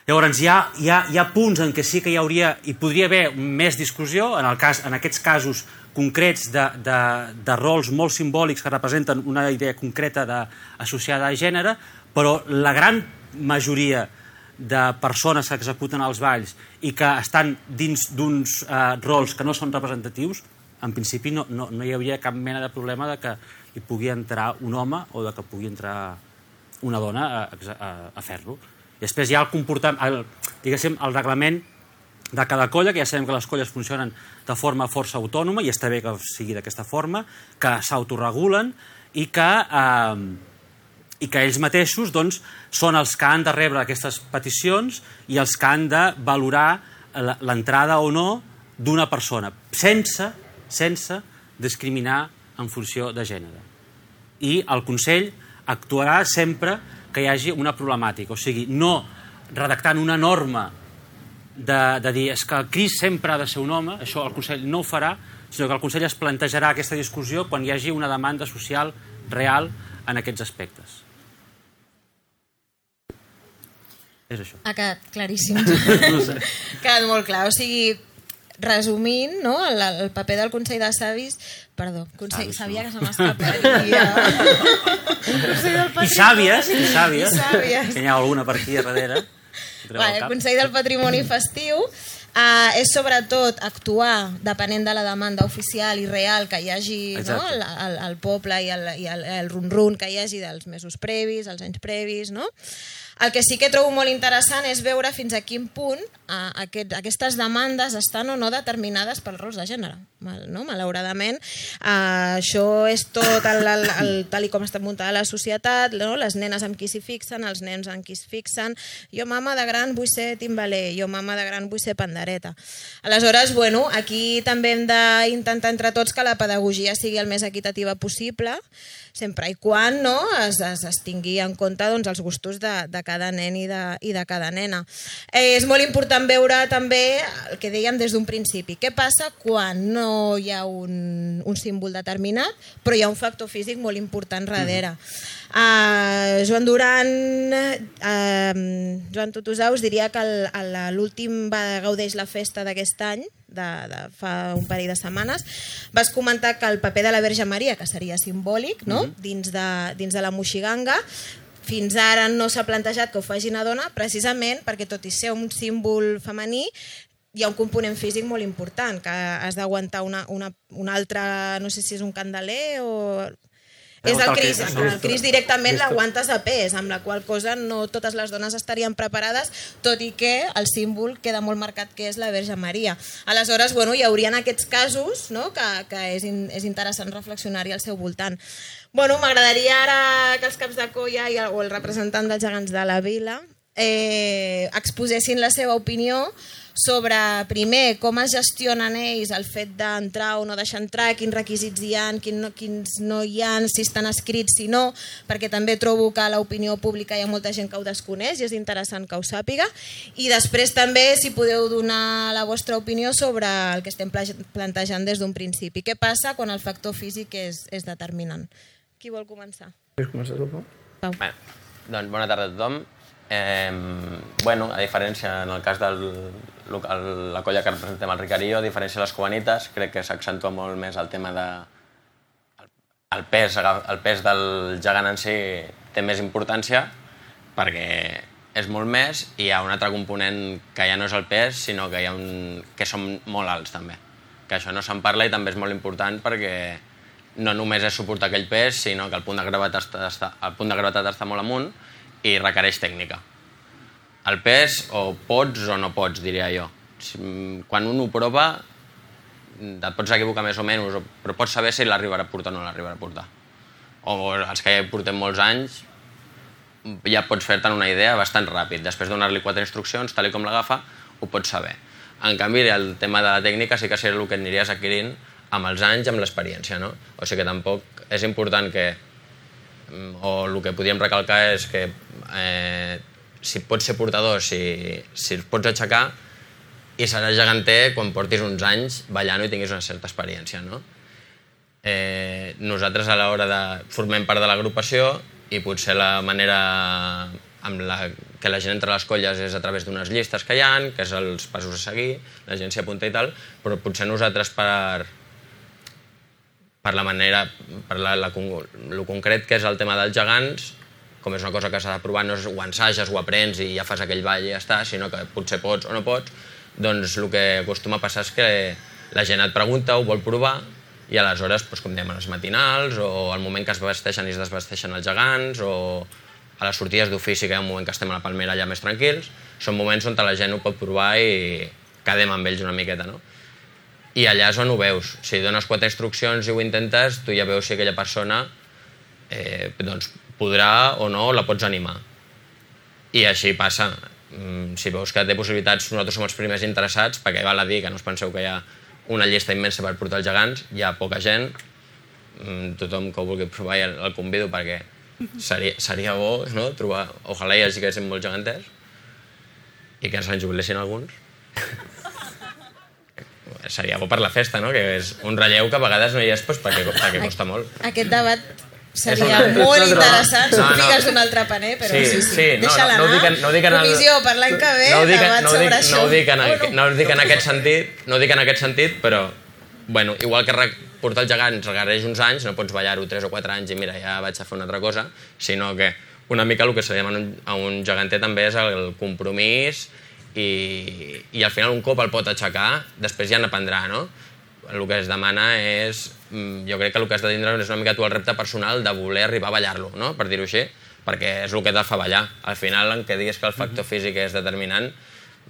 Llavors, hi ha, hi, ha, hi ha punts en què sí que hi hauria, hi podria haver més discussió, en, el cas, en aquests casos concrets de, de, de rols molt simbòlics que representen una idea concreta de, associada a gènere, però la gran majoria de persones que executen els balls i que estan dins d'uns eh, rols que no són representatius, en principi no, no, no hi hauria cap mena de problema de que hi pugui entrar un home o de que pugui entrar una dona a, a, a fer-lo. I després hi ha el comportament, el, diguéssim, el reglament de cada colla, que ja sabem que les colles funcionen de forma força autònoma, i està bé que sigui d'aquesta forma, que s'autoregulen i que, eh, i que ells mateixos doncs, són els que han de rebre aquestes peticions i els que han de valorar l'entrada o no d'una persona, sense, sense discriminar en funció de gènere. I el Consell actuarà sempre que hi hagi una problemàtica, o sigui, no redactant una norma de, de dir és que el Crist sempre ha de ser un home, això el Consell no ho farà, sinó que el Consell es plantejarà aquesta discussió quan hi hagi una demanda social real en aquests aspectes. És això. Ha quedat claríssim. No sé. Ha quedat molt clar, o sigui, resumint, no, el, el paper del Consell de Savis, perdó, Consell, Savis, sabia no. que se m'escaparia. I sàvies, i sàvies, I sàvies. que hi ha alguna per aquí a darrere. Vale, el Consell del Patrimoni Festiu uh, és sobretot actuar depenent de la demanda oficial i real que hi hagi, no, el, el, el poble i el, i el, el run-run que hi hagi dels mesos previs, els anys previs, no? El que sí que trobo molt interessant és veure fins a quin punt uh, aquest, aquestes demandes estan o no determinades pels rols de gènere. Mal, no? Malauradament, uh, això és tot el, el, el, tal i com està muntada la societat, no? Les nenes amb qui s'hi fixen, els nens amb qui s'hi fixen. Jo, mama de gran, vull ser timbaler. Jo, mama de gran, vull ser pandereta. Aleshores, bueno, aquí també hem d'intentar entre tots que la pedagogia sigui el més equitativa possible, sempre i quan, no, es, es, es tingui en compte doncs, els gustos de, de cada nen i de, i de cada nena. Eh, és molt important veure també el que dèiem des d'un principi. Què passa quan no hi ha un, un símbol determinat, però hi ha un factor físic molt important darrere. Uh, Joan Duran, uh, Joan Tutusau us diria que l'últim va gaudeix la festa d'aquest any, de, de fa un parell de setmanes, vas comentar que el paper de la Verge Maria, que seria simbòlic, no? Mm-hmm. dins, de, dins de la Moixiganga, fins ara no s'ha plantejat que ho faci una dona, precisament perquè tot i ser un símbol femení, hi ha un component físic molt important, que has d'aguantar una, una, una altra, no sé si és un candeler o... És el Cris, el Cris directament l'aguantes a pes, amb la qual cosa no totes les dones estarien preparades, tot i que el símbol queda molt marcat que és la Verge Maria. Aleshores, bueno, hi haurien aquests casos, no?, que, que és, in, és interessant reflexionar-hi al seu voltant. Bueno, m'agradaria ara que els caps de colla i el, o el representant dels gegants de la vila eh, exposessin la seva opinió sobre, primer, com es gestionen ells el fet d'entrar o no deixar entrar, quins requisits hi ha, quins no, quins no hi ha, si estan escrits, si no, perquè també trobo que a l'opinió pública hi ha molta gent que ho desconeix i és interessant que ho sàpiga. I després també si podeu donar la vostra opinió sobre el que estem plantejant des d'un principi. Què passa quan el factor físic és, és determinant? Qui vol començar? Vols començar tu, Pau? Pau. Bé, doncs bona tarda a tothom. Eh, bueno, a diferència, en el cas de la colla que representem el Ricarillo, a diferència de les cubanites, crec que s'accentua molt més el tema de... El pes, el pes del gegant en si té més importància perquè és molt més i hi ha un altre component que ja no és el pes, sinó que, hi ha un... que som molt alts també. Que això no se'n parla i també és molt important perquè no només és suportar aquell pes, sinó que el punt de gravetat està, el punt de gravetat està molt amunt i requereix tècnica. El pes, o pots o no pots, diria jo. Quan un ho prova, et pots equivocar més o menys, però pots saber si l'arribarà a portar o no l'arribarà a portar. O els que ja portem molts anys, ja pots fer-te'n una idea bastant ràpid. Després de donar-li quatre instruccions, tal com l'agafa, ho pots saber. En canvi, el tema de la tècnica sí que serà el que aniries adquirint amb els anys, amb l'experiència, no? O sigui que tampoc és important que o el que podríem recalcar és que eh, si pots ser portador, si, si els pots aixecar i seràs geganter quan portis uns anys ballant i tinguis una certa experiència, no? Eh, nosaltres a l'hora de... formem part de l'agrupació i potser la manera amb la que la gent entra a les colles és a través d'unes llistes que hi ha, que és els passos a seguir, la gent s'hi apunta i tal, però potser nosaltres per... per la manera, per la, la, el concret que és el tema dels gegants, com és una cosa que s'ha de provar, no és ho ensages, ho aprens i ja fas aquell ball i ja està, sinó que potser pots o no pots, doncs el que acostuma a passar és que la gent et pregunta, ho vol provar, i aleshores, doncs, com dèiem, a les matinals, o al moment que es vesteixen i es desvesteixen els gegants, o a les sortides d'ofici, que hi ha un moment que estem a la Palmera allà més tranquils, són moments on la gent ho pot provar i quedem amb ells una miqueta, no? I allà és on ho veus. Si dones quatre instruccions i ho intentes, tu ja veus si aquella persona eh, doncs, podrà o no, la pots animar. I així passa. Si veus que té possibilitats, nosaltres som els primers interessats, perquè val a dir que no us penseu que hi ha una llista immensa per portar els gegants, hi ha poca gent, tothom que ho vulgui provar el, el convido perquè seria, seria bo, no?, trobar, ojalà hi hagi que siguin molts geganters i que se'n jubilessin alguns. Seria bo per la festa, no?, que és un relleu que a vegades no hi és doncs, perquè, perquè costa molt. Aquest debat seria molt interessant, no, no. Figues d'un altre paner, però sí, sí, sí. sí. Deixa-la no, no, anar. No dic en el... Comissió per l'any que ve, no dic, debat no sobre dic, això. No ho dic, en, oh, no. no dic en aquest sentit, no dic en aquest sentit, però bueno, igual que portar els gegants requereix uns anys, no pots ballar-ho tres o quatre anys i mira, ja vaig a fer una altra cosa, sinó que una mica el que se li demana a un geganter també és el compromís i, i al final un cop el pot aixecar, després ja n'aprendrà, no? El que es demana és, jo crec que el que has de tindre és una mica tu el repte personal de voler arribar a ballar-lo, no?, per dir-ho així, perquè és el que te fa ballar. Al final, en què diguis que el factor físic és determinant,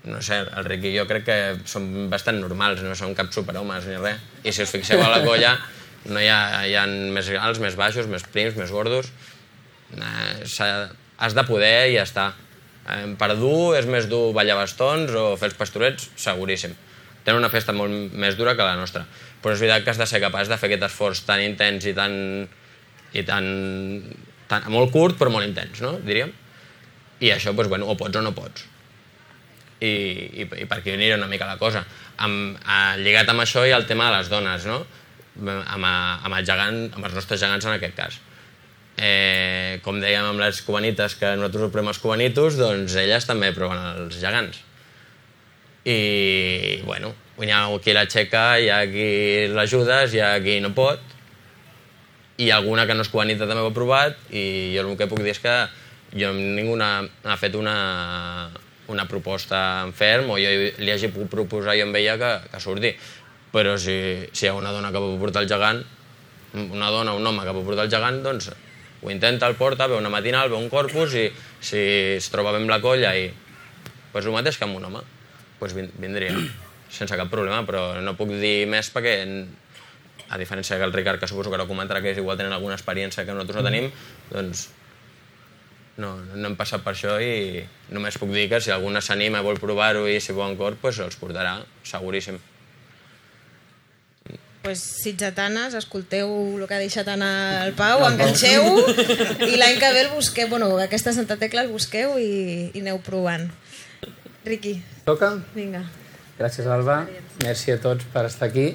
no sé, el Rick i jo crec que som bastant normals, no som cap superhomes ni res. I si us fixeu a la colla, no hi ha, hi ha més alts, més baixos, més prims, més gordos. Has de poder i ja està. Per dur és més dur ballar bastons o fer els pastorets, seguríssim. Tenen una festa molt més dura que la nostra. Però és veritat que has de ser capaç de fer aquest esforç tan intens i tan... i tan, tan molt curt, però molt intens, no?, diríem. I això, doncs, bueno, o pots o no pots. I, i, i per aquí aniria una mica la cosa. Amb, a, lligat amb això hi ha el tema de les dones, no?, amb, amb, el gegant, amb els nostres gegants en aquest cas. Eh, com dèiem amb les cubanites, que nosaltres ho provem els cubanitos, doncs elles també proven els gegants. I, bueno, hi ha qui l'aixeca, hi ha qui l'ajudes, hi ha qui no pot, i alguna que no és cubanita també ho ha provat, i jo el que puc dir és que jo ningú ha fet una, una proposta en ferm, o jo li hagi pogut proposar jo amb ella que, que surti. Però si, si hi ha una dona que pot portar el gegant, una dona o un home que pot portar el gegant, doncs ho intenta, el porta, veu una matinal, veu un corpus i si es troba bé amb la colla i pues el mateix que amb un home, pues vindria sense cap problema, però no puc dir més perquè, a diferència que el Ricard, que suposo que ara comentarà que igual tenen alguna experiència que nosaltres no tenim, doncs no, no hem passat per això i només puc dir que si alguna s'anima i vol provar-ho i si vol cor, pues els portarà, seguríssim. Pues, sitgetanes, escolteu el que ha deixat anar el Pau, enganxeu i l'any que ve el busqueu, bueno, aquesta Santa Tecla el busqueu i, i aneu provant. Riqui. Toca? Vinga. Gràcies, Alba. Merci a tots per estar aquí.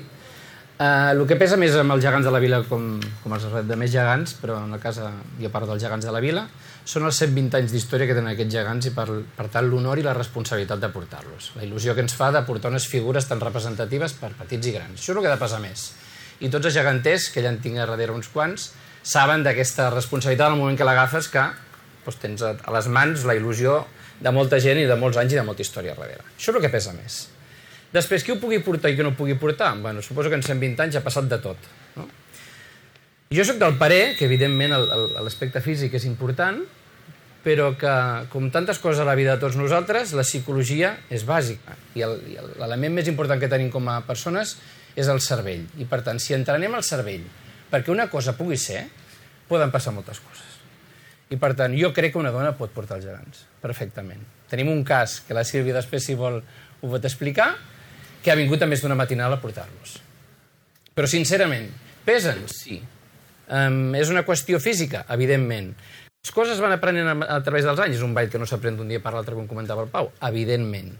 Uh, el que pesa més amb els gegants de la vila, com, com els de més gegants, però en la casa jo parlo dels gegants de la vila, són els cent vint anys d'història que tenen aquests gegants i per, per tant l'honor i la responsabilitat de portar-los. La il·lusió que ens fa de portar unes figures tan representatives per petits i grans. Això és el que ha de pesar més. I tots els geganters, que ja en tinc a darrere uns quants, saben d'aquesta responsabilitat al moment que l'agafes, que doncs, tens a les mans la il·lusió de molta gent i de molts anys i de molta història a darrere. Això és el que pesa més. Després, qui ho pugui portar i qui no ho pugui portar? Bueno, suposo que en cent vint anys ha passat de tot. No? Jo soc del parer que, evidentment, l'aspecte físic és important, però que, com tantes coses a la vida de tots nosaltres, la psicologia és bàsica. I l'element més important que tenim com a persones és el cervell. I, per tant, si entrenem el cervell perquè una cosa pugui ser, poden passar moltes coses. I, per tant, jo crec que una dona pot portar els gegants, perfectament. Tenim un cas, que la Sílvia després, si vol, ho pot explicar, que ha vingut a més d'una matinal a portar-los. Però, sincerament, pesen? Sí. Um, és una qüestió física? Evidentment. Les coses van aprenent a, a través dels anys. És un ball que no s'aprèn d'un dia per l'altre, com comentava el Pau. Evidentment.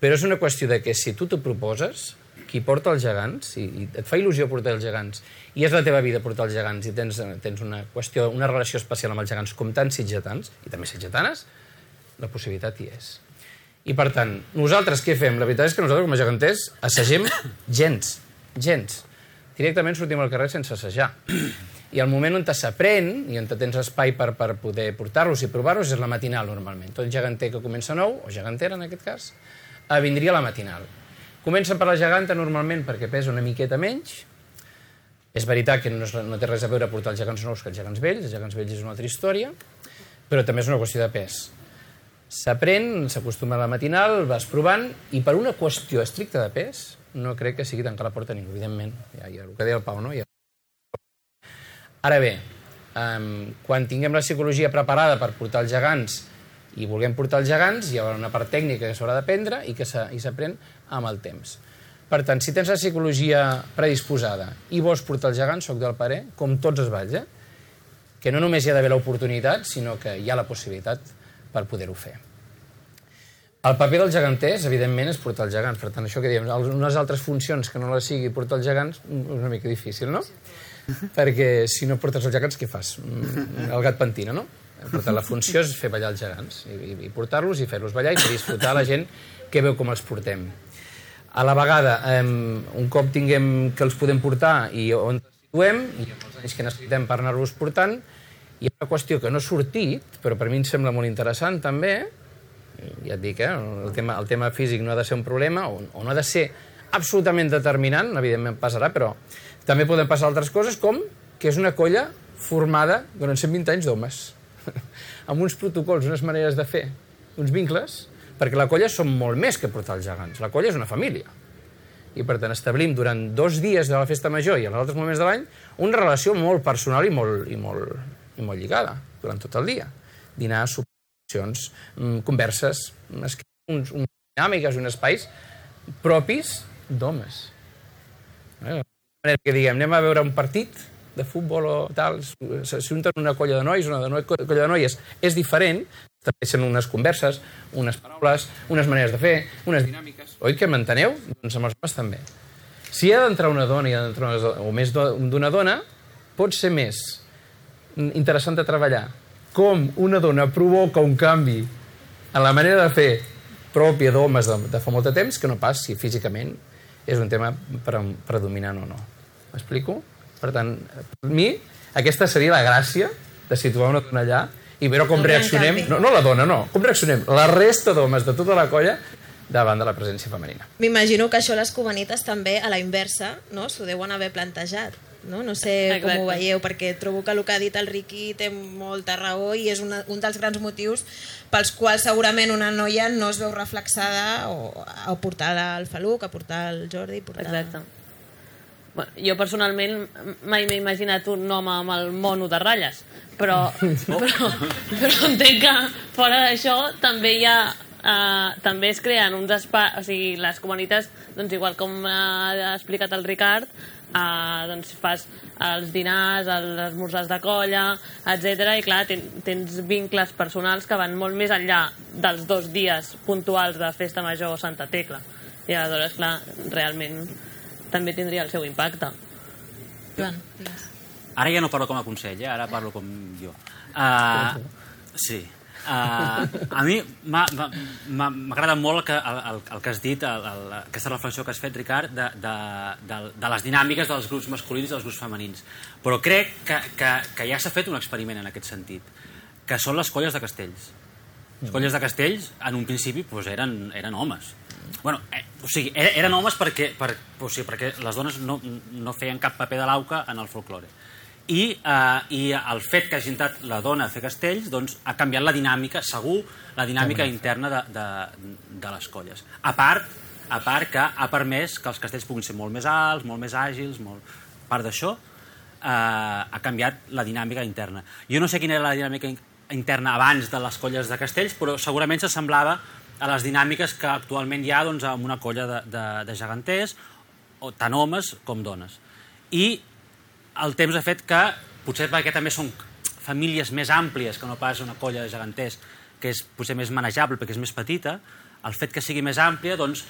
Però és una qüestió de que si tu t'ho proposes, qui porta els gegants, i, i et fa il·lusió portar els gegants, i és la teva vida portar els gegants, i tens, tens una qüestió, una relació especial amb els gegants, com tants sitgetans, i també sitgetanes, la possibilitat hi és. I, per tant, nosaltres què fem? La veritat és que nosaltres, com a geganters, assagem gens, gens. Directament sortim al carrer sense assajar. I el moment on s'aprèn, i on tens espai per, per poder portar-los i provar-los, és la matinal, normalment. Tot geganter que comença nou, o gegantera, en aquest cas, vindria a la matinal. Comencen per la geganta, normalment, perquè pesa una miqueta menys. És veritat que no, és, no té res a veure portar els gegants nous que els gegants vells, els gegants vells és una altra història, però també és una qüestió de pes. S'aprèn, s'acostuma a la matinal, vas provant, i per una qüestió estricta de pes, no crec que sigui tancar la porta a ningú, evidentment. Ja, ja, el que deia el Pau, no? Ja. Ara bé, um, quan tinguem la psicologia preparada per portar els gegants i vulguem portar els gegants, hi haurà una part tècnica que s'haurà d'aprendre i que s'aprèn amb el temps. Per tant, si tens la psicologia predisposada i vols portar els gegants, soc del parer, com tots els balls, eh? Que no només hi ha d'haver l'oportunitat, sinó que hi ha la possibilitat per poder-ho fer. El paper dels geganters, evidentment, és portar els gegants. Per tant, això que diem, unes altres funcions que no la sigui portar els gegants, és una mica difícil, no? Perquè si no portes els gegants, què fas? El gat pentina, no? Per tant, la funció és fer ballar els gegants, i, i portar-los i fer-los ballar i fer disfrutar la gent que veu com els portem. A la vegada, eh, un cop tinguem que els podem portar i on els situem, i els anys que necessitem per anar-los portant, hi ha una qüestió que no ha sortit, però per mi em sembla molt interessant també, ja et dic, eh? el, tema, el tema físic no ha de ser un problema, o, o no ha de ser absolutament determinant, evidentment passarà, però també poden passar altres coses, com que és una colla formada durant cent vint anys d'homes, amb uns protocols, unes maneres de fer, uns vincles, perquè la colla són molt més que portar els gegants, la colla és una família. I per tant establim durant dos dies de la festa major i en els altres moments de l'any una relació molt personal i molt, i molt, i molt lligada durant tot el dia. Dinar, sopars, converses, uns, uns dinàmiques, uns espais propis d'homes. Eh? Que diguem, anem a veure un partit de futbol o tal, s'unten una colla de nois, una colla de noies, és diferent, estableixen unes converses, unes paraules, unes maneres de fer, unes dinàmiques. Oi que m'enteneu? Doncs amb els homes també. Si hi ha d'entrar una dona i ha d'entrar una dona, o més d'una dona, pot ser més interessant de treballar. Com una dona provoca un canvi en la manera de fer pròpia d'homes de, de fa molt de temps, que no pas si físicament és un tema predominant o no. M'explico? Per tant, per mi, aquesta seria la gràcia de situar una dona allà i veure com reaccionem, no, no la dona, no, com reaccionem la resta d'homes de tota la colla davant de la presència femenina. M'imagino que això les cubanites també, a la inversa, no? S'ho deuen haver plantejat. no? No sé com Exacte. ho veieu, perquè trobo que el que ha dit el Riqui té molta raó i és una, un dels grans motius pels quals segurament una noia no es veu reflexada o, a portar el Faluc, a portar el Jordi... Portar... Exacte. Bueno, jo personalment mai m'he imaginat un home amb el mono de ratlles, però, però, però entenc que fora d'això també hi ha Uh, també es creen uns espais, o sigui, les comunitats, doncs igual com ha explicat el Ricard, uh, doncs fas els dinars, els esmorzars de colla, etcètera, i clar, ten, tens vincles personals que van molt més enllà dels dos dies puntuals de Festa Major o Santa Tecla. I aleshores, clar, realment també tindria el seu impacte. Joan, digues. Ara ja no parlo com a consell, eh? Ara parlo com jo. Uh, sí. Uh, a mi m'agrada molt el que, el, el que has dit, el, el, aquesta reflexió que has fet, Ricard, de, de, de, de les dinàmiques dels grups masculins i dels grups femenins. Però crec que, que, que ja s'ha fet un experiment en aquest sentit, que són les colles de castells. Les colles de castells, en un principi, doncs eren, eren homes. Bueno, eh, o sigui, eren homes perquè, per, o sigui, perquè les dones no, no feien cap paper de l'auca en el folklore. I, eh, i el fet que hagi entrat la dona a fer castells doncs, ha canviat la dinàmica, segur, la dinàmica interna de, de, de les colles. A part, a part que ha permès que els castells puguin ser molt més alts, molt més àgils, molt... a part d'això, eh, ha canviat la dinàmica interna. Jo no sé quina era la dinàmica interna abans de les colles de castells, però segurament s'assemblava a les dinàmiques que actualment hi ha doncs, en una colla de, de, de geganters, o tant homes com dones. I el temps ha fet que, potser perquè també són famílies més àmplies que no pas una colla de geganters, que és potser més manejable perquè és més petita, el fet que sigui més àmplia doncs,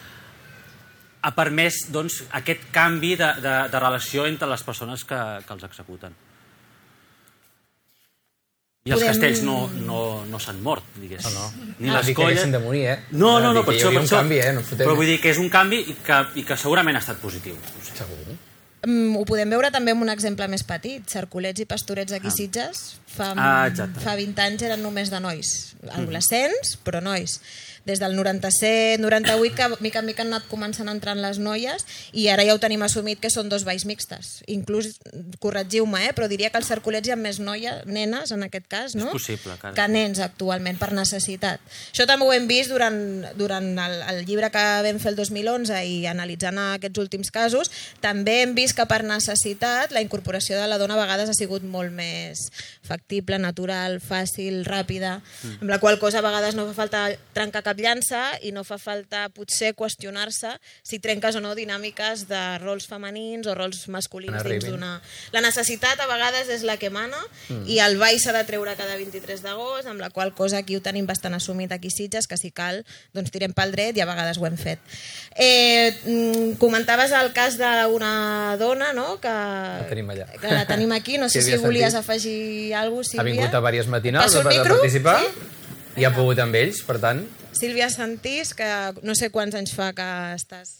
ha permès doncs, aquest canvi de, de, de relació entre les persones que, que els executen. I els Podem... castells no, no, no s'han mort, digués. No, no. Ni No les dic que colles... haguessin de morir, eh? No, no, no, Dic per que hi això, havia per un això. canvi, eh? No fotem... Però vull dir que és un canvi i que, i que segurament ha estat positiu. Segur. Mm, ho podem veure també amb un exemple més petit. Cercolets i Pastorets aquí a Ah. Sitges fa, Ah, exacte. fa vint anys eren només de nois, adolescents, però nois. Des del noranta-set noranta-vuit que mica en mica han anat començant a entrar les noies i ara ja ho tenim assumit que són dos balls mixtes. Inclús, corregiu-me, eh, però diria que als Cercolets hi ha més noies, nenes en aquest cas, no? És possible, cara. Que nens actualment, per necessitat. Això també ho hem vist durant, durant el, el llibre que vam fer el dos mil onze i analitzant aquests últims casos, també hem vist que per necessitat la incorporació de la dona a vegades ha sigut molt més factible, natural, fàcil, ràpida, mm. amb la qual cosa a vegades no fa falta trencar cap llança i no fa falta potser qüestionar-se si trenques o no dinàmiques de rols femenins o rols masculins dins d'una... La necessitat a vegades és la que mana mm. i el ball s'ha de treure cada vint-i-tres d'agost, amb la qual cosa aquí ho tenim bastant assumit aquí a Sitges, que si cal doncs tirem pel dret i a vegades ho hem fet. Eh, comentaves el cas d'una dona, no?, que, La tenim allà. que la tenim aquí, no sé Sílvia Santís. si volies afegir alguna cosa, Sílvia. Ha vingut a diverses matinals Passo el per micro? participar Sí? i ha pogut amb ells, per tant... Sílvia Santís, que no sé quants anys fa que estàs...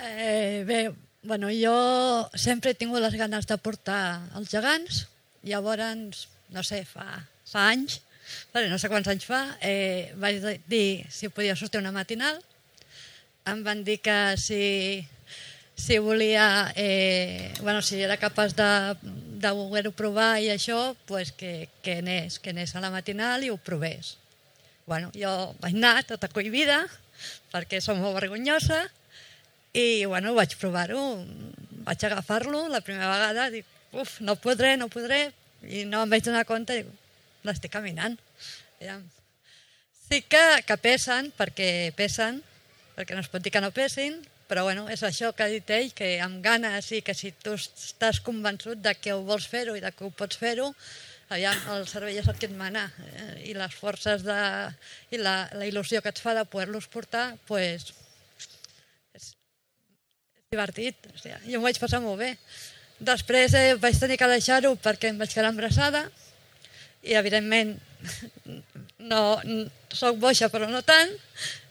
Eh, bé, bueno, jo sempre he tingut les ganes de portar els gegants, llavors, no sé, fa, fa anys, vale, no sé quants anys fa, eh, vaig dir si podia sortir una matinal, em van dir que si, si volia, eh, bueno, si era capaç de, de voler-ho provar i això, pues que, que, anés, que anés a la matinal i ho provés. Bueno, jo vaig anar tota cohibida, perquè som molt vergonyosa, i bueno, vaig provar-ho, vaig agafar-lo la primera vegada, dic, uf, no podré, no podré, i no em vaig donar compte, dic, l'estic caminant. Sí que, que pesen, perquè pesen, perquè no es pot dir que no pesin, però bueno, és això que ha dit ell, que amb ganes i que si tu estàs convençut de que ho vols fer-ho i de que ho pots fer-ho, aviam, el cervell és el que et mana, eh, i les forces de, i la, la il·lusió que et fa de poder-los portar, pues, és, és divertit. O sigui, jo m'ho vaig passar molt bé. Després eh, vaig tenir que deixar-ho perquè em vaig quedar embarassada i, evidentment, no, soc boixa però no tant,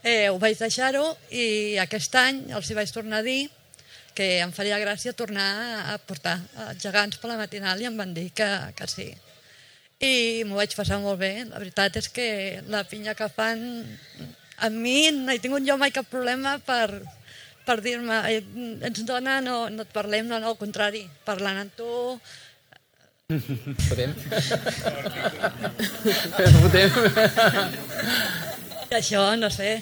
eh, ho vaig deixar-ho i aquest any els hi vaig tornar a dir que em faria gràcia tornar a portar els gegants per la matinal i em van dir que, que sí. I m'ho vaig passar molt bé. La veritat és que la pinya que fan, a mi no he tingut jo mai cap problema per, per dir-me, eh, ets dona, no, no et parlem, no, no, al contrari, parlant amb tu... Fotem. Fotem. I això, no sé,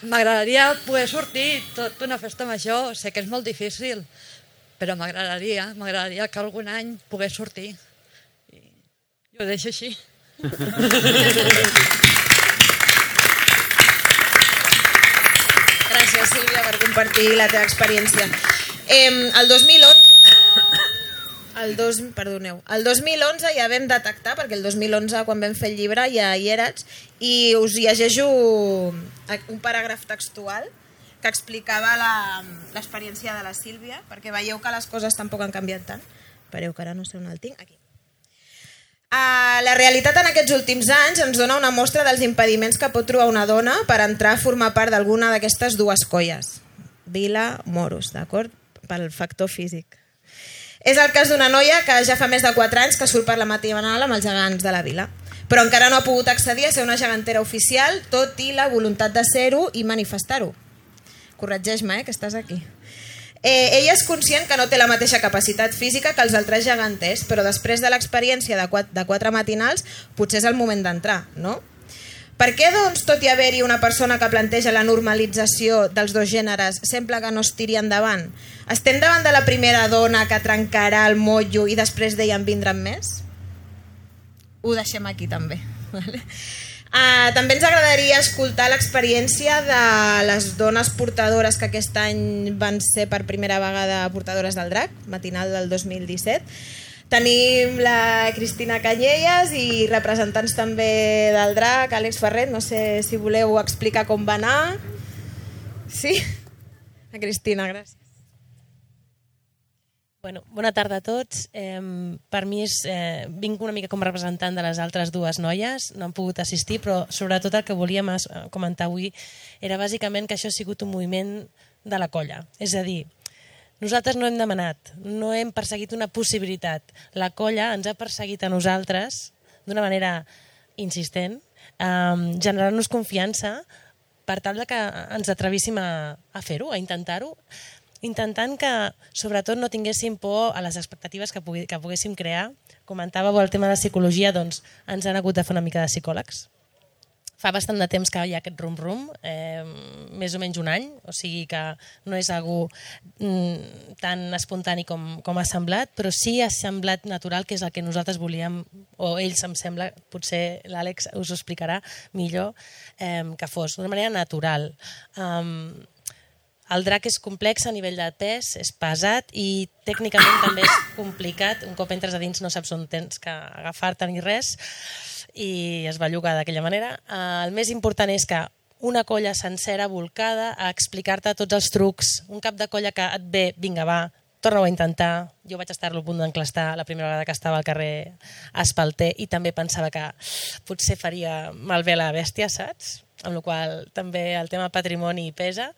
m'agradaria poder sortir tot una festa major, sé que és molt difícil, però m'agradaria, m'agradaria que algun any pogués sortir. I ho deixo així. Gràcies, Sílvia, per compartir la teva experiència. Eh, el dos mil onze... El, dos, perdoneu, el dos mil onze ja vam detectar, perquè el dos mil onze quan vam fer el llibre ja hi eres, i us llegeixo un paràgraf textual que explicava l'experiència de la Sílvia, perquè veieu que les coses tampoc han canviat tant. Espereu, que ara no sé on el tinc. Aquí. Uh, la realitat en aquests últims anys ens dona una mostra dels impediments que pot trobar una dona per entrar a formar part d'alguna d'aquestes dues colles. Vila, moros, d'acord? Pel factor físic. És el cas d'una noia que ja fa més de quatre anys que surt per la matinal amb els gegants de la vila, però encara no ha pogut accedir a ser una gegantera oficial, tot i la voluntat de ser-ho i manifestar-ho. Corregeix-me, eh, que estàs aquí. Eh, ella és conscient que no té la mateixa capacitat física que els altres geganters, però després de l'experiència de, quatre, de quatre matinals potser és el moment d'entrar, no? Per què, doncs, tot i haver-hi una persona que planteja la normalització dels dos gèneres, sembla que no es tiri endavant? Estem davant de la primera dona que trencarà el motllo i després d'ella en vindran més? Ho deixem aquí també. Vale? Uh, també ens agradaria escoltar l'experiència de les dones portadores que aquest any van ser per primera vegada portadores del drac, matinal del dos mil disset. Tenim la Cristina Canyelles i representants també del drac, Àlex Ferret, no sé si voleu explicar com va anar. Sí? La Cristina, gràcies. Bueno, bona tarda a tots. Eh, per mi és, eh, vinc una mica com a representant de les altres dues noies, no han pogut assistir, però sobretot el que volíem comentar avui era bàsicament que això ha sigut un moviment de la colla. És a dir, nosaltres no hem demanat, no hem perseguit una possibilitat. La colla ens ha perseguit a nosaltres d'una manera insistent, eh, generant-nos confiança per tal de que ens atrevíssim a, a fer-ho, a intentar-ho, intentant que, sobretot, no tinguéssim por a les expectatives que, pugui, que poguéssim crear. Comentàveu el tema de psicologia, doncs ens han hagut de fer una mica de psicòlegs. Fa bastant de temps que hi ha aquest rum-rum, eh, més o menys un any, o sigui que no és algú mm, tan espontani com, com ha semblat, però sí ha semblat natural, que és el que nosaltres volíem, o ells em sembla, potser l'Àlex us ho explicarà millor, eh, que fos d'una manera natural. Um, El drac és complex a nivell de pes, és pesat i tècnicament també és complicat. Un cop entres a dins no saps on tens que agafar-te ni res i es belluga d'aquella manera. El més important és que una colla sencera volcada a explicar-te tots els trucs. Un cap de colla que et ve, vinga va, torna-ho a intentar. Jo vaig estar-lo a punt d'enclastar la primera vegada que estava al carrer Espalter i també pensava que potser faria malbé la bèstia, saps? Amb la qual també el tema patrimoni pesa,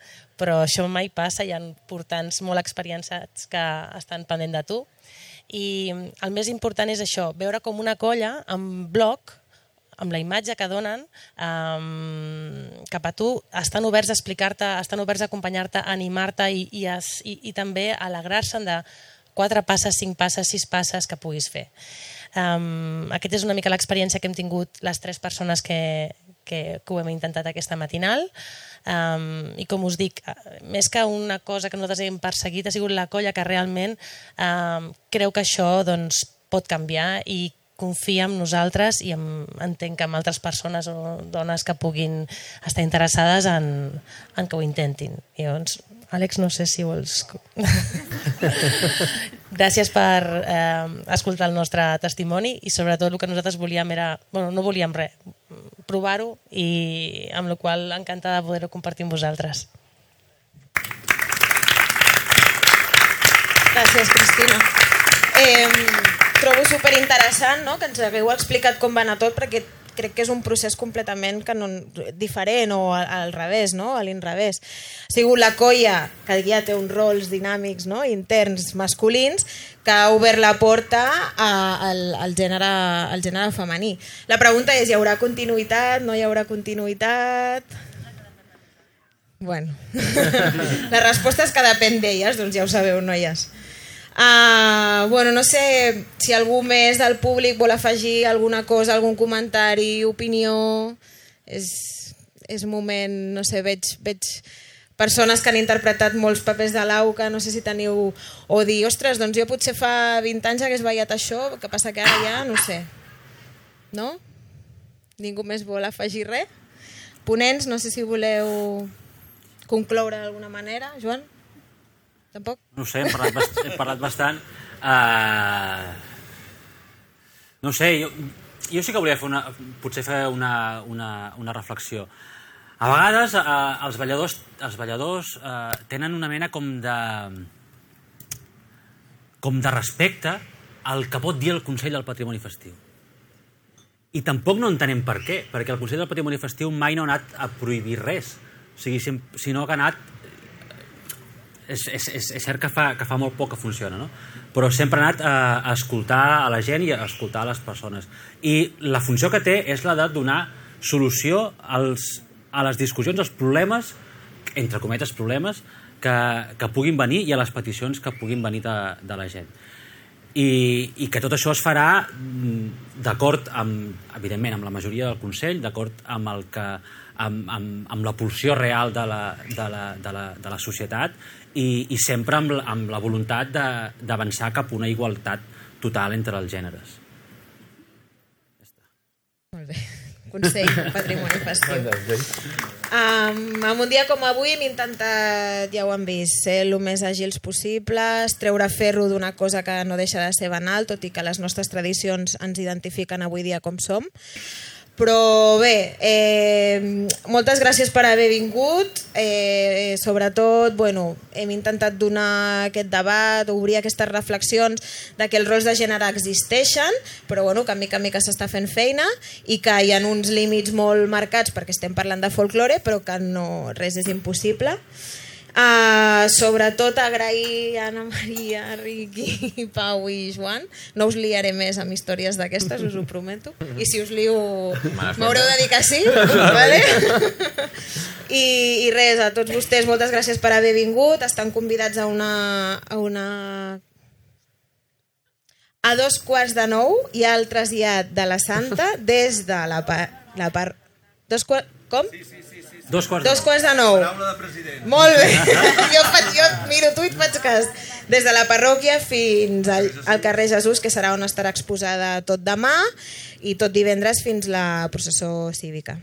però això mai passa, hi ha portants molt experienciats que estan pendent de tu. I el més important és això, veure com una colla amb bloc, amb la imatge que donen um, cap a tu, estan oberts a explicar-te, estan oberts a acompanyar-te, a animar-te i, i, i, i també a alegrar-se'n de quatre passes, cinc passes, sis passes que puguis fer. Um, aquesta és una mica l'experiència que hem tingut les tres persones que, que, que ho hem intentat aquesta matinal. Um, I com us dic, més que una cosa que nosaltres hem perseguit, ha sigut la colla que realment um, creu que això doncs, pot canviar i confia en nosaltres i en, entenc que en altres persones o dones que puguin estar interessades en, en que ho intentin. I llavors, Àlex, no sé si vols... Gràcies per eh, escoltar el nostre testimoni i sobretot el que nosaltres volíem era... Bueno, no volíem res, provar-ho i amb la qual encantada de poder-ho compartir amb vosaltres. Gràcies, Cristina. Eh, trobo superinteressant, no?, que ens hagueu explicat com va anar tot, perquè crec que és un procés completament que no, diferent o al, al revés, no?, a l'inrevés. Ha sigut la colla que ja té uns rols dinàmics, no?, interns masculins que ha obert la porta a, al, al, gènere, al gènere femení. La pregunta és, hi haurà continuïtat, no hi haurà continuïtat? Bueno, la resposta és que depèn d'elles, doncs ja ho sabeu, noies. Uh, bueno, no sé si algú més del públic vol afegir alguna cosa, algun comentari, opinió. És, és moment, no sé, veig, veig persones que han interpretat molts papers de l'Auca, no sé si teniu... O dir, ostres, doncs jo potser fa vint anys hagués ballat això, que passa que ara ja, no sé. No? Ningú més vol afegir res? Ponents, no sé si voleu concloure d'alguna manera, Joan? Tampoc? No sé, hem parlat, bast hem parlat bastant. Uh... No sé, jo, jo sí que volia fer una, potser fer una, una, una reflexió. A vegades uh, els balladors, els balladors uh, tenen una mena com de, com de respecte al que pot dir el Consell del Patrimoni Festiu. I tampoc no entenem per què, perquè el Consell del Patrimoni Festiu mai no ha anat a prohibir res, o sigui, sinó que ha anat... És, és, és, és cert que fa, que fa molt poc que funciona, no? Però sempre ha anat a, a escoltar a la gent i a escoltar a les persones. I la funció que té és la de donar solució als, a les discussions, als problemes, entre cometes problemes, que, que puguin venir i a les peticions que puguin venir de, de la gent. I, i que tot això es farà d'acord amb, evidentment, amb la majoria del Consell, d'acord amb el que amb, amb, amb la pulsió real de la, de la, de la, de la societat i, i sempre amb, amb la voluntat d'avançar cap a una igualtat total entre els gèneres. Ja està. Molt bé. Consell del Patrimoni Festiu. Um, en un dia com avui hem intentat, ja ho han vist, ser el més àgils possibles, treure ferro d'una cosa que no deixa de ser banal, tot i que les nostres tradicions ens identifiquen avui dia com som. Però bé, eh, moltes gràcies per haver vingut. Eh, sobretot, bueno, hem intentat donar aquest debat, obrir aquestes reflexions de que els rols de gènere existeixen, però bueno, que a mica a mica s'està fent feina i que hi ha uns límits molt marcats perquè estem parlant de folklore, però que no, res és impossible. Uh, sobretot agrair a Anna Maria, Riqui, Pau i Joan. No us liaré més amb històries d'aquestes, us ho prometo. I si us lio, m'haureu de dir que sí, vale? I, I res, a tots vostès, moltes gràcies per haver vingut. Estan convidats a una... A, una... a dos quarts de nou hi ha el trasllat de la Santa des de la part... La par... Dos quarts... Com? Sí, sí, sí. Dos quarts, Dos quarts de nou. Paraula de president. Molt bé. jo, faig, jo miro tu i et faig cas. Des de la parròquia fins al, al carrer Jesús, que serà on estarà exposada tot demà, i tot divendres fins la processó cívica.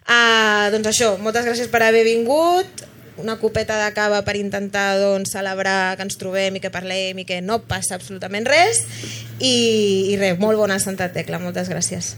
Uh, doncs això, moltes gràcies per haver vingut. Una copeta de cava per intentar doncs, celebrar que ens trobem i que parlem i que no passa absolutament res. I, i res, molt bona Santa Tecla. Moltes gràcies.